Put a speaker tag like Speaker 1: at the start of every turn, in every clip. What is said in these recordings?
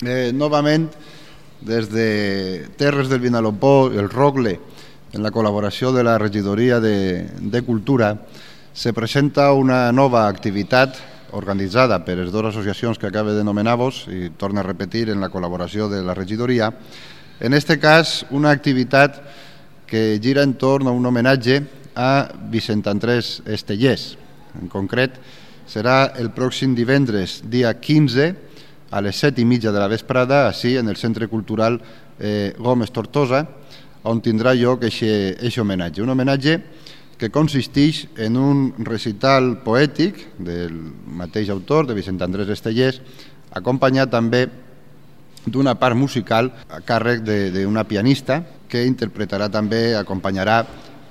Speaker 1: Novament, des de Terres del Vinalopó, el Rogle, en la col·laboració de la Regidoria de Cultura, se presenta una nova activitat organitzada per les dues associacions que acabo d'anomenar-vos i torno a repetir en la col·laboració de la Regidoria. En aquest cas, una activitat que gira entorn a un homenatge a Vicent Andrés Estellés. En concret, serà el pròxim divendres, dia 15, a les 7:30 de la vesprada, així en el Centre Cultural Gómez Tortosa, on tindrà lloc aquest homenatge. Un homenatge que consisteix en un recital poètic del mateix autor, de Vicent Andrés Estellés, acompanyat també d'una part musical a càrrec d'una pianista que interpretarà també, acompanyarà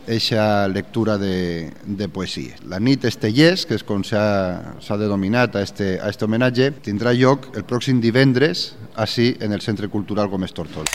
Speaker 1: aquesta lectura de poesia. La nit Estellés, que és com s'ha denominat a aquest homenatge, tindrà lloc el pròxim divendres, així en el Centre Cultural Gómez Tortosa.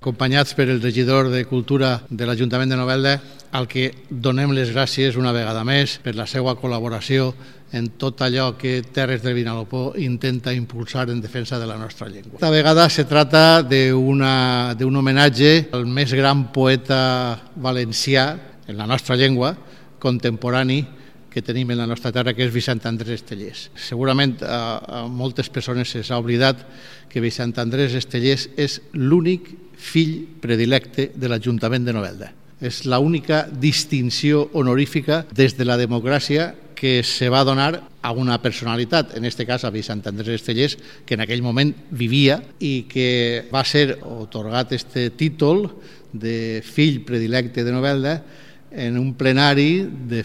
Speaker 2: Acompanyats per el regidor de Cultura de l'Ajuntament de Novelda, al que donem les gràcies una vegada més per la seva col·laboració en tot allò que Terres del Vinalopó intenta impulsar en defensa de la nostra llengua. Esta vegada se trata d'un homenatge al més gran poeta valencià en la nostra llengua, contemporani, que tenim en la nostra terra, que és Vicent Andrés Estellés. Segurament a moltes persones s'ha oblidat que Vicent Andrés Estellés és l'únic fill predilecte de l'Ajuntament de Novelda. És l'única distinció honorífica des de la democràcia que se va donar a una personalitat, en aquest cas a Vicent Andrés Estellés, que en aquell moment vivia i que va ser atorgat aquest títol de fill predilecte de Novelda en un plenari de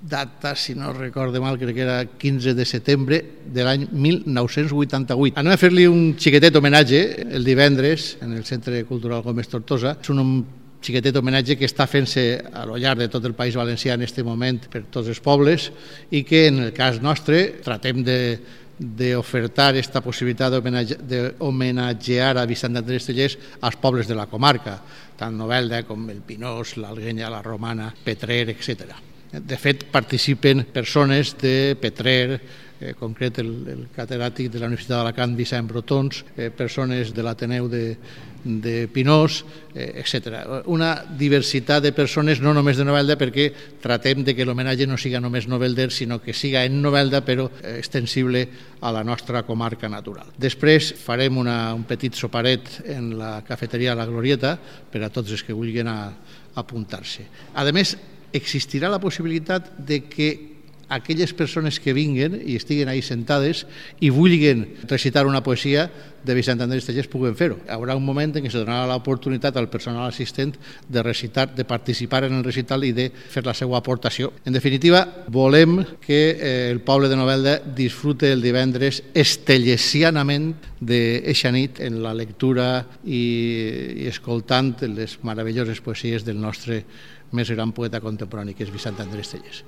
Speaker 2: data, si no recordo mal, crec que era 15 de setembre de l'any 1988. Anem a fer-li un xiquetet homenatge el divendres en el Centre Cultural Gómez Tortosa. És un xiquetet homenatge que està fent-se a lo llarg de tot el País Valencià en aquest moment per tots els pobles i que en el cas nostre tratem d'ofertar aquesta possibilitat d'homenatgear a Vicent Andrés Estellés als pobles de la comarca, tant Novelda com el Pinós, l'Alguenya, la Romana, Petrer, etc. De fet, participen persones de Petrer, en concret el catedràtic de la Universitat d'Alacant, Vicent Brotons, persones de l'Ateneu de Pinós, etc. Una diversitat de persones, no només de Novelda, perquè tratem que l'homenatge no siga només novelder, sinó que siga en Novelda, però extensible a la nostra comarca natural. Després farem un petit soparet en la cafeteria La Glorieta per a tots els que vulguin apuntar-se. A més, existirà la possibilitat de que aquelles persones que vinguen i estiguen ahí sentades i vulguin recitar una poesia de Vicent Andrés Estellés puguen fer-ho. Hi haurà un moment en què se donarà l'oportunitat al personal assistent de recitar, de participar en el recital i de fer la seva aportació. En definitiva, volem que el poble de Novelda disfrute el divendres estellesianament d'eixa nit en la lectura i escoltant les meravelloses poesies del nostre més gran poeta contemporani, que és Vicent Andrés Estellés.